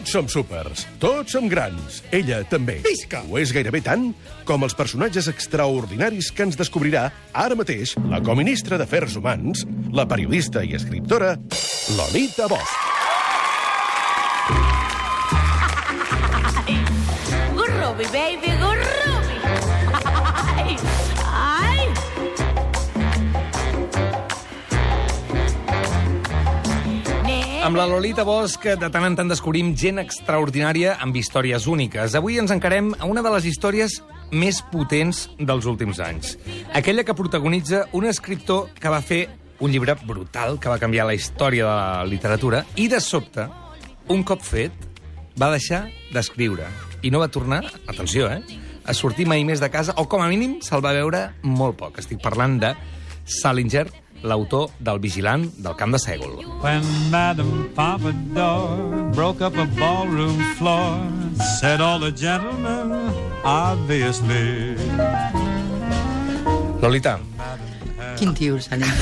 Tots som súpers, tots som grans. Ella també. Visca! Ho és gairebé tant com els personatges extraordinaris que ens descobrirà ara mateix la coministra d'Afers Humans, la periodista i escriptora Lolita Bosch. Gurrubi, baby, gurrubi. Ai, ai. Amb la Lolita Bosch, de tant en tant descobrim gent extraordinària amb històries úniques. Avui ens encarem a una de les històries més potents dels últims anys. Aquella que protagonitza un escriptor que va fer un llibre brutal que va canviar la història de la literatura i, de sobte, un cop fet, va deixar d'escriure. I no va tornar, atenció, a sortir mai més de casa, o com a mínim se'l va veure molt poc. Estic parlant de Salinger, l'autor del Vigilant del Camp de Sègol. When Madame Pompadour broke up a ballroom floor, said all the gentlemen, obviously. Lolita. Quin tio, Salinger.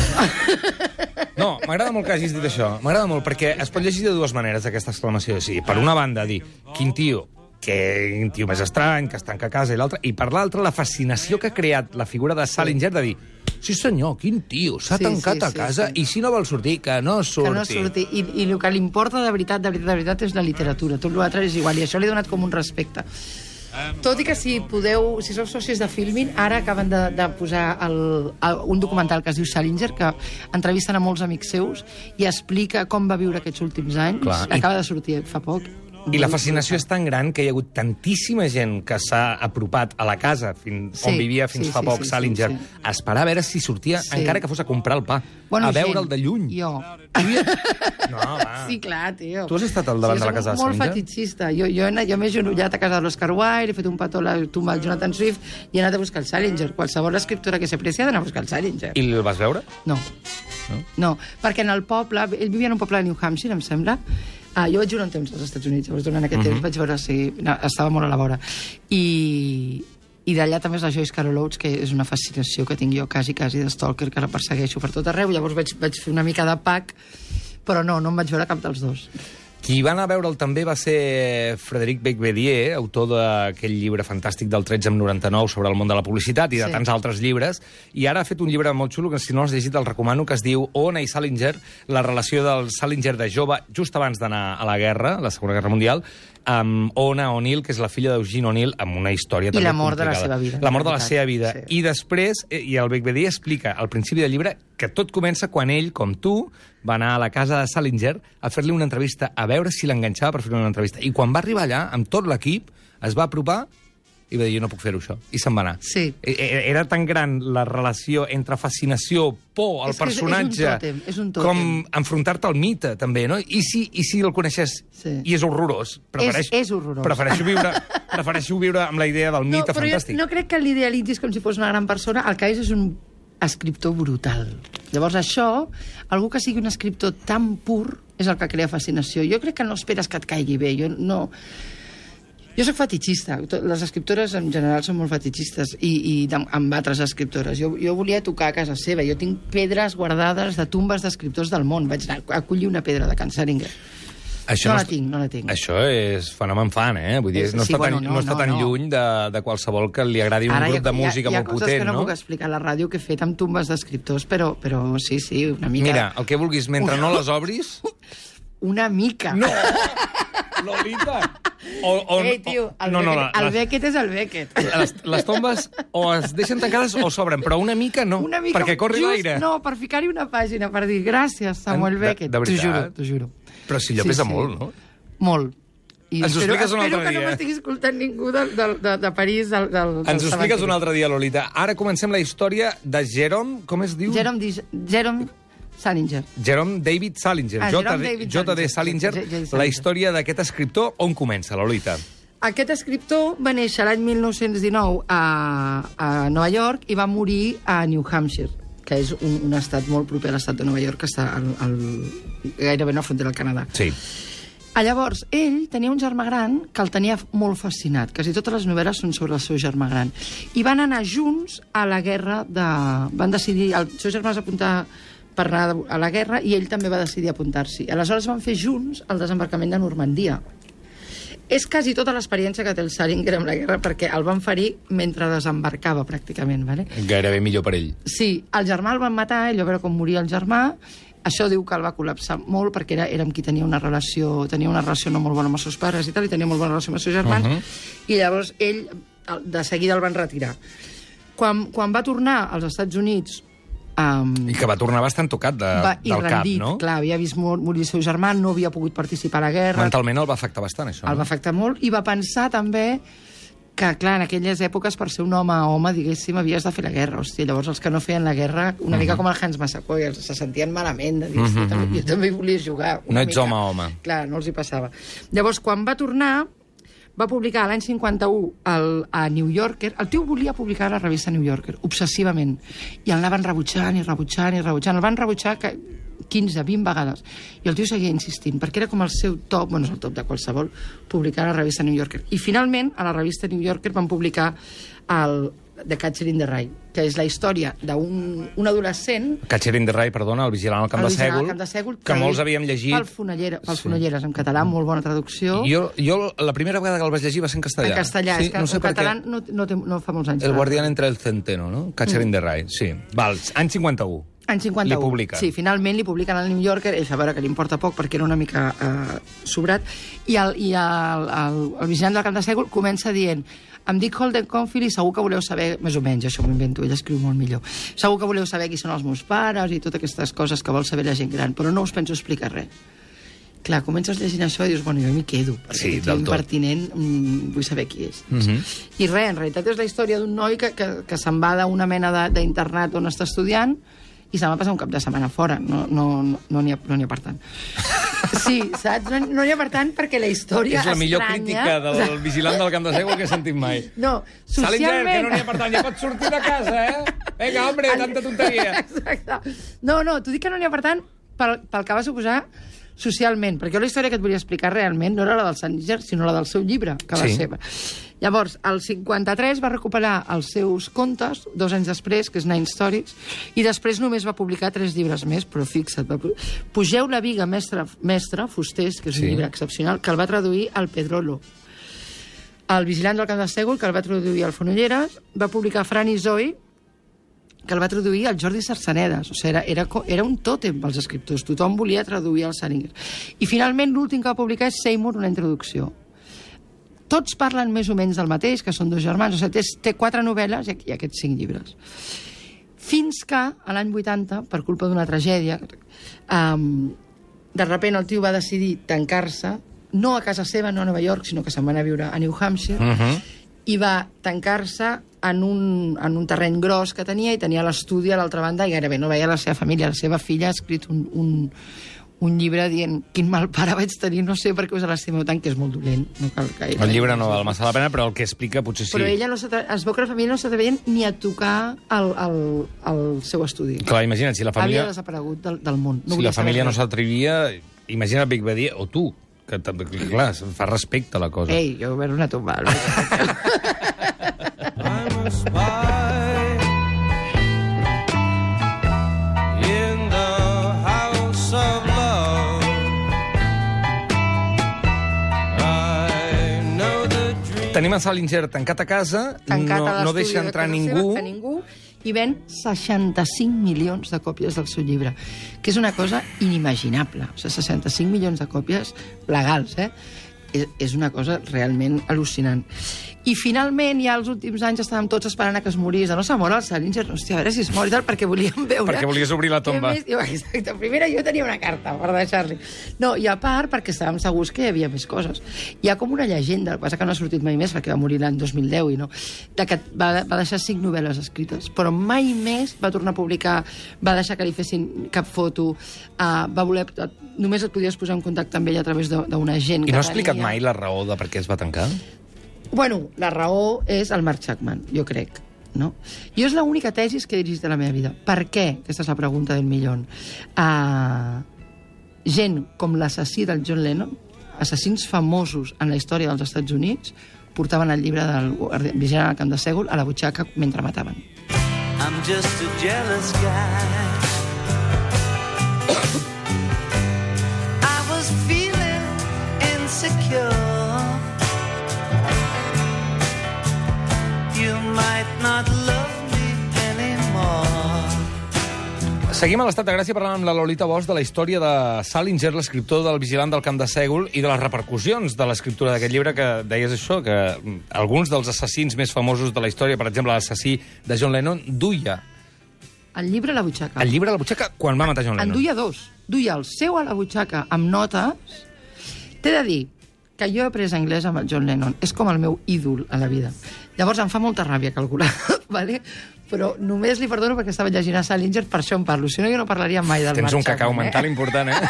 No, m'agrada molt que hagis dit això. M'agrada molt, perquè es pot llegir de dues maneres, aquesta exclamació. Sí, per una banda, dir, quin tio, que un tio més estrany, que es tanca a casa, i l'altre, i per l'altra, la fascinació que ha creat la figura de Salinger de dir, sí senyor, quin tio, s'ha tancat a casa, i si no vol sortir, que no surti. Que no surti. I el que li importa de veritat és la literatura. Tot l'altre és igual, i això li ha donat com un respecte. Tot i que si sou socis de Filmin, ara acaben de posar un documental que es diu Salinger, que entrevisten a molts amics seus i explica com va viure aquests últims anys. Clar, acaba de sortir fa poc. I la fascinació és tan gran que hi ha hagut tantíssima gent que s'ha apropat a la casa on vivia fins fa poc Salinger a esperar a veure si sortia, encara que fos a comprar el pa, a veure'l de lluny. Jo. No, va. Sí, clar, tio. Tu has estat al davant de la casa de Salinger? Molt fetitxista. Jo m'he genollat a casa de l'Oscar Wilde, he fet un petó a la tumba del Jonathan Swift i he anat a buscar el Salinger. Qualsevol escriptora que s'aprecia ha d'anar a buscar el Salinger. I el vas veure? No, perquè en el poble, ell vivia en un poble de New Hampshire, em sembla. Jo vaig viure un temps als Estats Units, llavors durant aquest temps vaig veure si estava molt a la vora. I d'allà també és la Joyce Carol Oates, que és una fascinació que tinc jo quasi de stalker, que la persegueixo per tot arreu. Llavors vaig fer una mica de pack, però no em vaig veure cap dels dos. Qui va anar a veure'l també va ser Frédéric Becbédier, autor d'aquell llibre fantàstic del 1399 sobre el món de la publicitat i de tants altres llibres, i ara ha fet un llibre molt xulo, que si no l'has llegit el recomano, que es diu Oona i Salinger, la relació del Salinger de jove just abans d'anar a la guerra, la Segona Guerra Mundial, amb Oona O'Neill, que és la filla d'Eugene O'Neill, amb una història també complicada. I l'amor de la seva vida. L'amor de la seva vida. Sí. I després, i el Becbédier explica al principi del llibre que tot comença quan ell, com tu, va anar a la casa de Salinger a fer-li una entrevista, a veure si l'enganxava per fer una entrevista. I quan va arribar allà, amb tot l'equip, es va apropar i va dir, jo no puc fer-ho, això. I se'n va anar. Sí. Era tan gran la relació entre fascinació, por, el personatge, és un tòtem. com enfrontar-te al mite, també, no? I si el coneixes i és horrorós? És horrorós. Prefereixo viure amb la idea del mite fantàstic. No crec que l'idealitzis com si fos una gran persona. El que és un escriptor brutal. Llavors això, algú que sigui un escriptor tan pur, és el que crea fascinació. Jo crec que no esperes que et caigui bé. Jo soc fetitxista. Les escriptores en general són molt fetitxistes i amb altres escriptores. Jo volia tocar a casa seva. Jo tinc pedres guardades de tumbes d'escriptors del món. Vaig anar a collir una pedra de Can Salinger. No la tinc. Això és fenomen fan, Vull dir, no està tan lluny de qualsevol que li agradi un grup de música molt potent, no? Hi ha coses que no puc explicar a la ràdio que he fet amb tumbes d'escriptors, però sí, una mica... Mira, el que vulguis, mentre no les obris... Una mica. No! Lolita! Tio, el Beckett és el Beckett. Les tombes o es deixen tancades o s'obren, però una mica no, perquè corri l'aire. No, per ficar-hi una pàgina, per dir gràcies, Samuel Beckett. T'ho juro. Però si allò pesa molt, no? Molt. Ens ho expliques un altre dia. Espero que no m'estigui escoltant ningú de París. Ens ho expliques un altre dia, Lolita. Ara comencem la història de Jerome, com es diu? Jerome Salinger. Jerome David Salinger. J.D. Salinger. La història d'aquest escriptor, on comença, Lolita? Aquest escriptor va néixer l'any 1919 a Nova York i va morir a New Hampshire, que és un estat molt proper a l'estat de Nova York, que està gairebé a la frontera del Canadà. Sí. Llavors, ell tenia un germà gran que el tenia molt fascinat. Quasi totes les novel·les són sobre el seu germà gran. I van anar junts a la guerra de... Van decidir... El seu germà es va apuntar per anar a la guerra i ell també va decidir apuntar-s'hi. Aleshores van fer junts el desembarcament de Normandia. És quasi tota l'experiència que té el Salinger amb la guerra, perquè el van ferir mentre desembarcava, pràcticament. Vale? Gairebé millor per ell. Sí, el germà el van matar, ell va veure com moria el germà, això diu que el va col·lapsar molt, perquè era amb qui tenia una relació no molt bona amb els seus pares i tal, i tenia molt bona relació amb els seus germans, i llavors ell, de seguida el van retirar. Quan va tornar als Estats Units... I que va tornar bastant tocat del rendit, cap, no? Clar, havia vist morir el seu germà, no havia pogut participar a la guerra... Mentalment el va afectar bastant, això. El va afectar molt, i va pensar també que, clar, en aquelles èpoques, per ser un home, diguéssim, havies de fer la guerra. Hòstia, llavors els que no feien la guerra, una mica com el Hans Massaquoi, se sentien malament de dir, jo també volia jugar. No ets home. Clar, no els hi passava. Llavors, quan va tornar, va publicar l'any 51 a New Yorker. El tio volia publicar a la revista New Yorker, obsessivament. I el anaven rebutjant. El van rebutjar 15, 20 vegades. I el tio seguia insistint, perquè era com el seu top, és el top de qualsevol, publicar a la revista New Yorker. I finalment, a la revista New Yorker van publicar The Catcher in the Rye, que és la història d'un adolescent... Catcher in the Rye, perdona, el vigilant al camp de Sègol, que molts havíem llegit... Pels Fonolleres, en català, molt bona traducció. Jo la primera vegada que el vaig llegir va ser en castellà. En castellà, és que en català no fa molts anys. El guardián entre el centeno, no? Catcher in the Rye, sí. Val, any 51. Any 51. Li publiquen. Sí, finalment li publiquen al New Yorker, ell fa veure que li importa poc perquè era una mica sobrat, i el vigilant del camp de Sègol comença dient: em dic Holden Caulfield i segur que voleu saber, més o menys, això m'ho invento, ell escriu molt millor, segur que voleu saber qui són els meus pares i totes aquestes coses que vol saber la gent gran, però no us penso explicar res. Clar, comences llegint això i dius, bueno, jo m'hi quedo, perquè és impertinent, vull saber qui és. I res, en realitat és la història d'un noi que se'n va d'una mena d'internat on està estudiant i se'n va passar un cap de setmana fora. No n'hi ha per tant. Sí, saps? No n'hi ha per tant perquè la història és la millor crítica del vigilant del camp de Sègol que he sentit mai. No, socialment... Salinger, que no n'hi ha per tant, ja pots sortir de casa, eh? Vinga, hombre, tanta tonteria. Exacte. No, t'ho dic que no n'hi ha per tant pel que va suposar socialment, perquè la història que et volia explicar realment no era la del Salinger, sinó la del seu llibre, que va ser. Llavors, el 53 va recuperar els seus contes, 2 anys després, que és Nine Stories, i després només va publicar 3 llibres més, però fixa't, Pugeu la viga, mestre Fusters, que és un llibre excepcional, que el va traduir al Pedrolo. El vigilant del camp de Sègol, que el va traduir al Fonolleres, va publicar Fran i Zoe, que el va traduir el Jordi Sarsanedas. O sigui, era un tòtem pels escriptors. Tothom volia traduir el Salinger. I finalment l'últim que va publicar és Seymour, una introducció. Tots parlen més o menys del mateix, que són 2 germans. O sigui, té 4 novel·les i aquests 5 llibres. Fins que, a l'any 80, per culpa d'una tragèdia, de sobte el tio va decidir tancar-se, no a casa seva, no a Nova York, sinó que se'n va anar a viure a New Hampshire, i va tancar-se en un terreny gros que tenia, i tenia l'estudi a l'altra banda, i gairebé no veia la seva família. La seva filla ha escrit un llibre dient quin mal pare vaig tenir, no sé per què us l'estimeu tant, que és molt dolent. No cal que el llibre no val massa la pena, però el que explica potser sí. Però ella es veu que la família no s'atrevien ni a tocar el seu estudi. Clar, imagina't, si la família... Havia desaparegut del món. Si la família no s'atrevia, imagina't Big Badia, o tu, que clar, fa respecte a la cosa. Ei, jo veure una tomba. I'm a spy in the house of love. I know the dream. Tenim en Salinger tancat a casa, no deixa entrar ningú, i ven 65 milions de còpies del seu llibre, que és una cosa inimaginable. O sigui, 65 milions de còpies legals, és una cosa realment al·lucinant. I finalment, ja als últims anys estàvem tots esperant a que es morís. No se mor el Salinger, hòstia, a veure si es mor i tal, perquè volíem veure... Perquè volies obrir la tomba. Exacte, primera jo tenia una carta per deixar-li. No, i a part perquè estàvem segurs que hi havia més coses. Hi ha com una llegenda, el que passa que no ha sortit mai més, perquè va morir l'any 2010, de que va deixar 5 novel·les escrites, però mai més va tornar a publicar, va deixar que li fessin cap foto, va voler... Només et podies posar en contacte amb ell a través d'una gent que I no ha explicat mai la raó de per què es va tancar? Bueno, la raó és el Mark Chapman, jo crec. No? Jo és l'única tesis que he dirigit a la meva vida. Per què? Aquesta és la pregunta del millón. Gent com l'assassí del John Lennon, assassins famosos en la història dels Estats Units, portaven el llibre del vigilant al camp de Sègol a la butxaca mentre mataven. I'm just a jealous guy. I was feeling insecure. Seguim a l'Estat de Gràcia parlant amb la Lolita Bosch de la història de Salinger, l'escriptor del Vigilant del Camp de Sègol, i de les repercussions de l'escriptura d'aquest llibre, que deies això, que alguns dels assassins més famosos de la història, per exemple, l'assassí de John Lennon, duia El llibre a la butxaca. el llibre a la butxaca quan va matar John En Lennon. duia dos. Duia el seu a la butxaca amb notes. T'he de dir que jo he après anglès amb el John Lennon. És com el meu ídol a la vida. Llavors em fa molta ràbia calcular, ¿vale? Però només li perdono perquè estava llegint a Salinger, per això en parlo. Si no, jo no parlaria mai del Tens un Mark cacau Chapman, mental important, eh?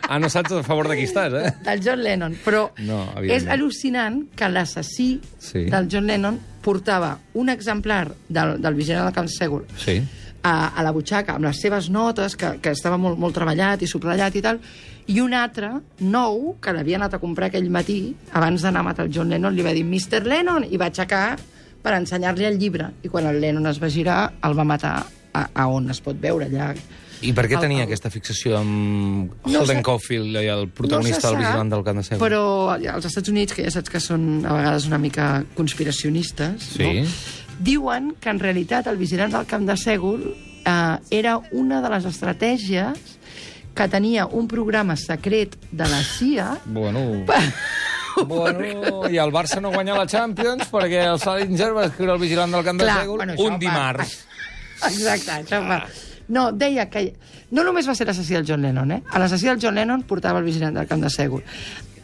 Ah, no saps a favor de qui estàs, eh? Del John Lennon. Però No, evidentment. és al·lucinant que l'assassí Sí. del John Lennon portava un exemplar del Vigilant del Camp de Sègol Sí. a la butxaca, amb les seves notes, que estava molt treballat i subratllat i tal, i un altre, nou, que l'havia anat a comprar aquell matí, abans d'anar a matar el John Lennon, li va dir Mr. Lennon, i va aixecar per ensenyar-li el llibre. I quan el Lennon es va girar, el va matar a on es pot veure allà. I per què El- tenia el- aquesta fixació amb No Holden se- Caulfield, el protagonista se del sap, Vigilant del Camp de Sègol? Però als Estats Units, que ja saps que són a vegades una mica conspiracionistes, Sí. no? Diuen que en realitat el Vigilant del Camp de Sègol era una de les estratègies que tenia un programa secret de la CIA. Bueno... Bueno, i el Barça no guanya la Champions perquè el Salinger va escriure el Vigilant del Camp de Clar, Sègol això un dimarts. Exacte, això va. No, deia que... No només va ser l'assassí del John Lennon, eh? A l'assassí del John Lennon portava el Vigilant del Camp de Sègol.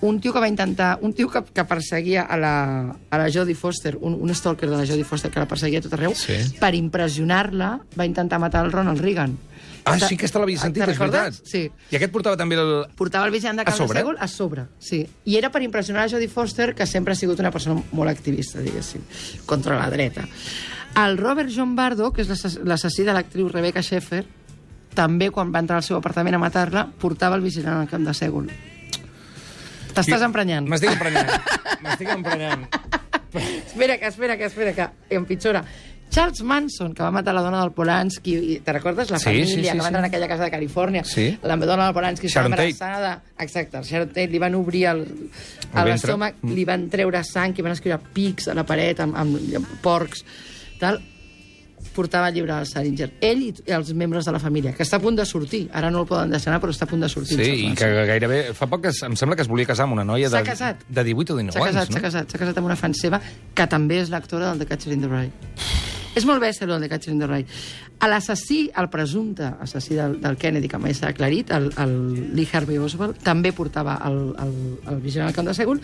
Un tio que va intentar... Un tio que perseguia a la Jodie Foster, un stalker de la Jodie Foster que la perseguia a tot arreu, Sí. per impressionar-la va intentar matar el Ronald Reagan. Ah, sí, aquesta l'havia sentit, Te'n és veritat. recordes? Sí. I aquest portava també el... Portava el Vigilant del A Camp de sobre? Sègol a sobre, sí. I era per impressionar a Jodie Foster, que sempre ha sigut una persona molt activista, diguéssim, contra la dreta. El Robert John Bardo, que és l'assassí de l'actriu Rebecca Schaeffer, també, quan va entrar al seu apartament a matar-la, portava el Vigilant al Camp de Sègol. T'estàs emprenyant. M'estic emprenyant. Espera que empitjora. Charles Manson, que va matar la dona del Polanski, i te recordes la Sí, família sí, sí, que va entrar sí. en aquella casa de Califòrnia? Sí. La dona del Polanski estava Sharon Tate. embarassada. Exacte, Sharon Tate, li van obrir ventre. l'estómac, li van treure sang, i van escriure pics a la paret amb porcs, tal. Portava el llibre del Salinger. Ell i els membres de la família, que està a punt de sortir. Ara no el poden deixar anar, però està a punt de sortir. Sí, i que gairebé... Fa poc em sembla que es volia casar amb una noia S'ha casat. de 18 o 19 S'ha anys, casat, no? s'ha casat amb una fan seva, que també és l'actora del The Catcher in the Rye. És molt bèstia, el The Catcher in the Rye. L'assassí, el presumpte assassí del Kennedy, que mai s'ha aclarit, el Lee Harvey Oswald, també portava el Vigilant al Camp de Sègol,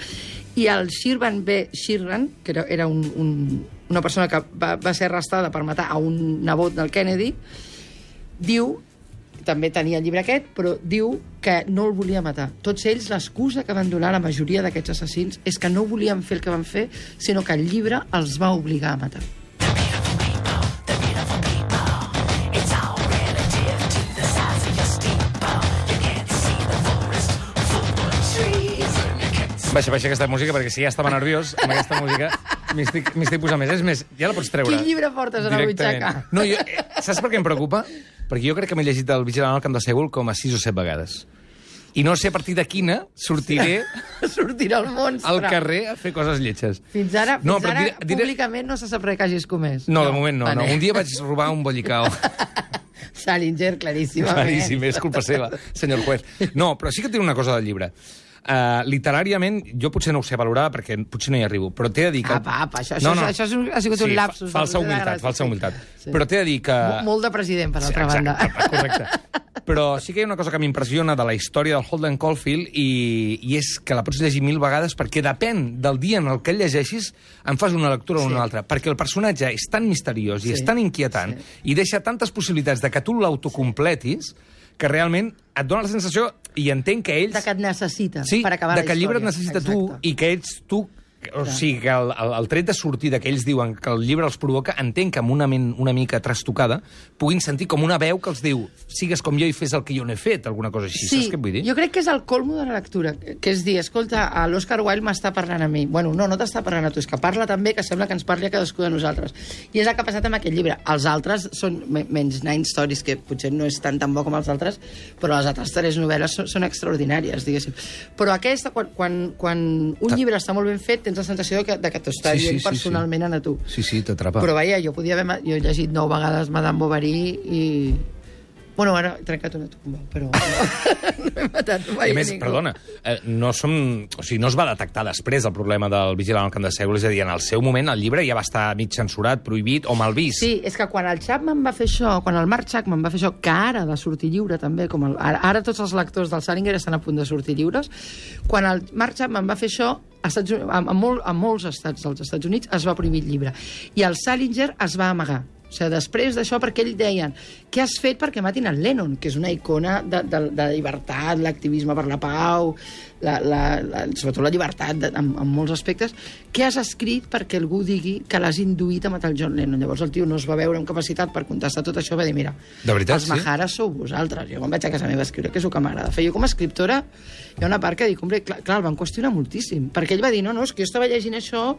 i el Shirvan B. Shirvan, que era una persona que va ser arrestada per matar a un nebot del Kennedy, diu, també tenia el llibre aquest, però diu que no el volia matar. Tots ells, l'excusa que van donar la majoria d'aquests assassins és que no volien fer el que van fer, sinó que el llibre els va obligar a matar. Baixa aquesta música, perquè si ja estava nerviós amb aquesta música, m'hi estic posant més. És més, ja la pots treure. Quin llibre portes a la directament. butxaca? No, saps per què em preocupa? Perquè jo crec que m'he llegit el Vigilant al Camp de Sègol com a 6 o 7 vegades. I no sé a partir de quina sortiré Sortirà el monstre. al carrer a fer coses lletges. Fins ara, No, però públicament no se sap res que hagis comès. No, de moment no. Vale. Un dia vaig robar un bollicao. Salinger, claríssimament. Claríssim, és culpa seva, senyor juez. No, però sí que tinc una cosa del llibre. Literàriament, jo potser no ho sé valorar perquè potser no hi arribo, però t'he de dir que... Apa, això ha sigut un lapsus. Falsa humilitat. Sí. Però t'he de dir que... Molt de president, per l'altra Exacte, banda. correcte. Però sí que hi ha una cosa que m'impressiona de la història del Holden Caulfield i és que la pots llegir 1000 vegades perquè depèn del dia en el que el llegeixis en fas una lectura o una altra. Perquè el personatge és tan misteriós i és tan inquietant i deixa tantes possibilitats de que tu l'autocompletis que realment et dona la sensació, i entenc que ells... De que et necessita Sí, per acabar la de que el llibre et història. necessita tu i que ets tu... O sigui, que el tret de sortida que ells diuen que el llibre els provoca, entenc que amb una ment una mica trastocada puguin sentir com una veu que els diu sigues com jo i fes el que jo no he fet, alguna cosa així. Sí, Saps què vull dir? jo crec que és el colmo de la lectura, que és dir, escolta, l'Oscar Wilde m'està parlant a mi. Bueno, no t'està parlant a tu, és que parla també, que sembla que ens parli a cadascú de nosaltres. I és el que ha passat amb aquest llibre. Els altres són menys Nine Stories, que potser no és tan bo com els altres, però les altres 3 novel·les són extraordinàries, diguéssim. Però aquesta, quan un llibre està molt ben fet, tens la sensació de que t'ho està dient personalment a tu. Sí, t'atrapa. Però vaja, jo he llegit 9 vegades Madame Bovary Bueno, ara he trencat una tomba, però no he matat mai I a més, ningú. perdona, no es va detectar després el problema del vigilant al camp de Sègol, és a dir, en el seu moment el llibre ja va estar mig censurat, prohibit o mal vist. Sí, és que quan el Chapman va fer això, quan el Mark Chapman va fer això, que ara ha de sortir lliure també, com ara tots els lectors del Salinger estan a punt de sortir lliures, quan el Mark Chapman va fer això, a molts estats dels Estats Units es va prohibir el llibre. I el Salinger es va amagar. O sigui, després d'això, perquè ells deien què has fet perquè matin el Lennon, que és una icona de llibertat, l'activisme per la pau, sobretot la llibertat en molts aspectes. Què has escrit perquè algú digui que l'has induït a matar el John Lennon? Llavors el tio no es va veure amb capacitat per contestar tot això, va dir, mira, de veritat, els majares sou vosaltres. Jo quan vaig a casa meva a escriure, que és el que m'agrada fer. Jo com a escriptora hi ha una part que dic, hombre, clar, el van qüestionar moltíssim, perquè ell va dir, no, és que jo estava llegint això,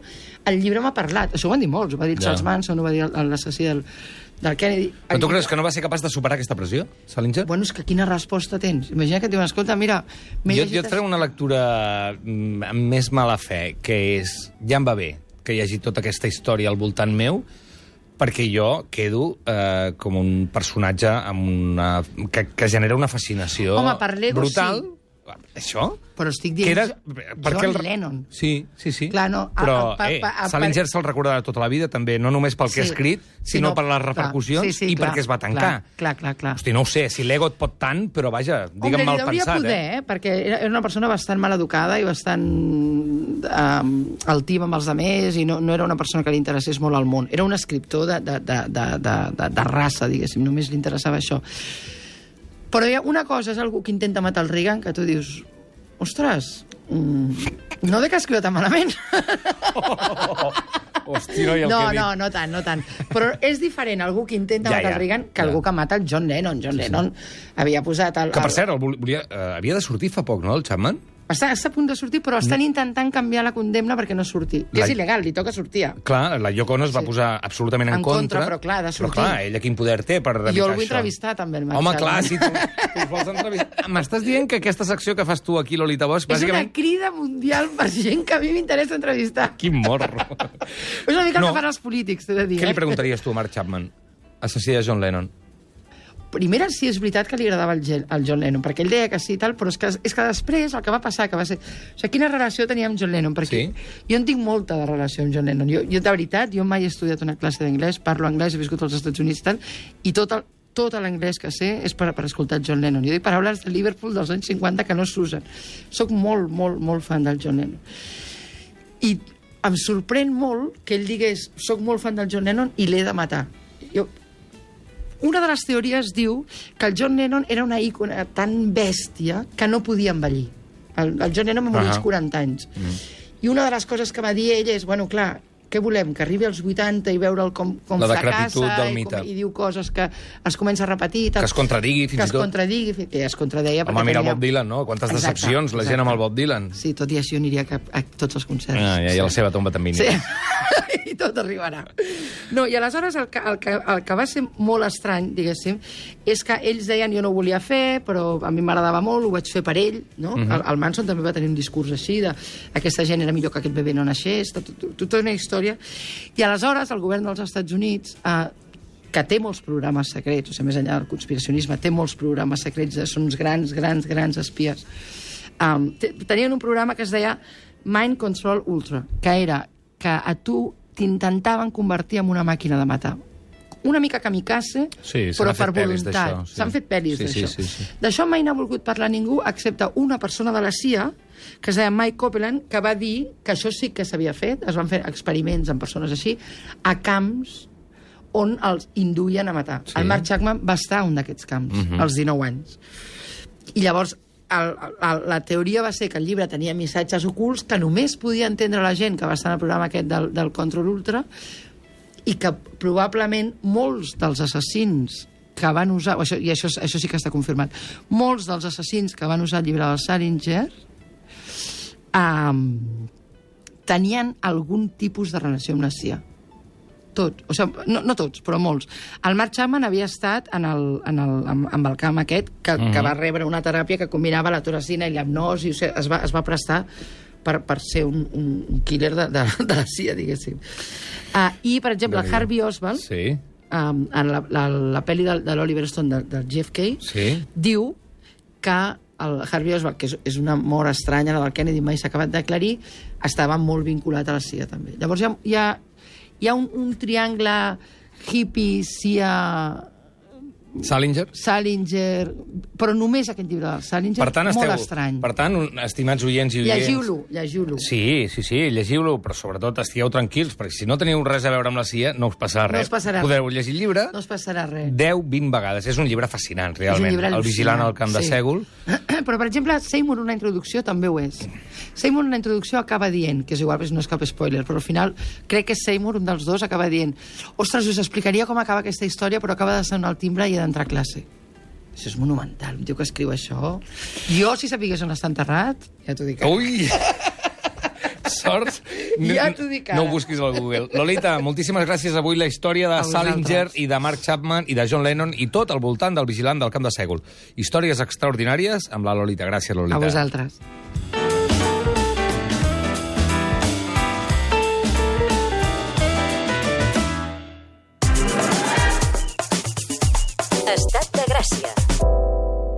el llibre m'ha parlat. Això ho van dir molts, ho va dir Charles Manson, ho va dir l'assassí del Kennedy. Però tu creus que no va ser capaç de superar aquesta pressió, Salinger? Bueno, és que quina resposta tens? Imagina que et diuen, escolta, mira... Jo et faré una lectura amb més mala fe, que és, ja em va bé que hi hagi tota aquesta història al voltant meu, perquè jo quedo com un personatge que genera una fascinació Home, per l'ego, brutal. sí. Això? Però estic dient John Lennon. Sí. Clar, no, però Salinger se'l recordarà tota la vida, també, no només pel que ha escrit, sinó per les repercussions i perquè es va tancar. Clar. Hosti, no ho sé, si l'ego et pot tant, però vaja, digue'm mal pensat. Poder, perquè era una persona bastant mal educada i bastant altiva amb els altres i no era una persona que li interessés molt al món. Era un escriptor de raça, diguéssim, només li interessava això. Però una cosa és algú que intenta matar el Reagan, que tu dius, ostres, no de que escriu tan malament. Hosti, no hi ha el que dic. No tant. Però és diferent algú que intenta matar el Reagan que algú que mata el John Lennon. John Lennon havia posat... Que, per cert, havia de sortir fa poc, no, el Chapman? Està a punt de sortir, però estan intentant canviar la condemna perquè no surti. És il·legal, li toca sortir. Clar, la Yoko Ono es va posar absolutament en contra. Però clar, ha de sortir. Però clar, ella quin poder té per evitar això? Jo el vull entrevistar, també, el Marc. Home, clar, si tu vols entrevistar... M'estàs dient que aquesta secció que fas tu aquí, Lolita Bosch, bàsicament... És una crida mundial per gent que a mi m'interessa entrevistar. Quin morro. És una mica el que fan els polítics, t'he de dir. Què li preguntaries tu a Mark Chapman, assassí de John Lennon? Primera, sí, és veritat que li agradava el John Lennon, perquè ell deia que sí i tal, però és que després el que va passar, que va ser... O sigui, quina relació tenia amb John Lennon? Perquè jo en tinc molta de relació amb John Lennon. Jo, de veritat, jo mai he estudiat una classe d'anglès, parlo anglès, he viscut als Estats Units i tal, i tot l'anglès que sé és per escoltar John Lennon. Jo dic paraules de Liverpool dels anys 50 que no s'usen. Soc molt, molt, molt fan del John Lennon. I em sorprèn molt que ell digués soc molt fan del John Lennon i l'he de matar. Una de les teories diu que el John Lennon era una ícona tan bèstia que no podia envellir. El John Lennon va morir als 40 anys. I una de les coses que va dir ell és, bueno, clar, què volem? Que arribi als 80 i veure'l com la fracassa i diu coses que es comença a repetir. Que es contradigui, fins i tot. Que es contradigui, que es contradeia. Home, mira el Bob Dylan, no? Quantes decepcions la gent amb el Bob Dylan. Sí, tot i així aniria a tots els concerts. I a la seva tomba també. Sí, i tot arribarà. No, i aleshores el que va ser molt estrany, diguéssim, és que ells deien jo no ho volia fer, però a mi m'agradava molt, ho vaig fer per ell, no? El Manson també va tenir un discurs així, aquesta gent era millor que aquest bebè no naixés, tota una història. I aleshores el govern dels Estats Units, que té molts programes secrets, o sigui, més enllà del conspiracionisme, té molts programes secrets, són uns grans espies, tenien un programa que es deia Mind Control Ultra, que era que a tu t'intentaven convertir en una màquina de matar. Una mica kamikaze, però per voluntat. S'han fet pel·lis d'això. D'això mai n'ha volgut parlar ningú, excepte una persona de la CIA, que es deia Mike Copeland, que va dir que això sí que s'havia fet, es van fer experiments amb persones així, a camps on els induïen a matar. El Mark Chapman va estar a un d'aquests camps, als 19 anys. I llavors la teoria va ser que el llibre tenia missatges ocults que només podia entendre la gent que va estar en el programa aquest del Control Ultra i que probablement molts dels assassins que van usar, i això sí que està confirmat, molts dels assassins que van usar el llibre del Salinger tenien algun tipus de relació amb la CIA. Tot. O sigui, no tots, però molts. El Mark Chapman havia estat amb el camp aquest, que va rebre una teràpia que combinava la toracina i l'hipnosi, o sigui, es va prestar per ser un killer de la CIA, diguéssim. I, per exemple, el Harvey Oswald en la pel·li de l'Oliver Stone, del JFK, diu que el Harvey Oswald, que és una mort estranya, la del Kennedy mai s'ha acabat d'aclarir, estava molt vinculat a la CIA, també. Llavors hi ha un triangle hippie, CIA... Salinger, però només aquest llibre del Salinger, molt estrany. Per tant, estimats oients i oients... Llegiu-lo. Sí, llegiu-lo, però sobretot estigueu tranquils, perquè si no teniu res a veure amb la CIA, no us passarà res. Podeu llegir el llibre 10-20 vegades. És un llibre fascinant, realment. El vigilant al camp de Sègol. Però, per exemple, Seymour, una introducció, també ho és. Seymour, una introducció, acaba dient, que és igual, no és cap spoiler, però al final crec que Seymour, un dels dos, acaba dient: ostres, us explicaria com acaba aquesta història, però acaba de sonar el timbre i d'entrar a classe. Això és monumental, un tio que escriu això. Jo, si sapigués on està enterrat, ja t'ho dic. Ui! Sort! Ja t'ho dic ara. No ho busquis al Google. Lolita, moltíssimes gràcies. Avui la història de Salinger i de Mark Chapman i de John Lennon i tot al voltant del vigilant del camp de Sègol. Històries extraordinàries amb la Lolita. Gràcies, Lolita. A vosaltres. Estat de Gràcia.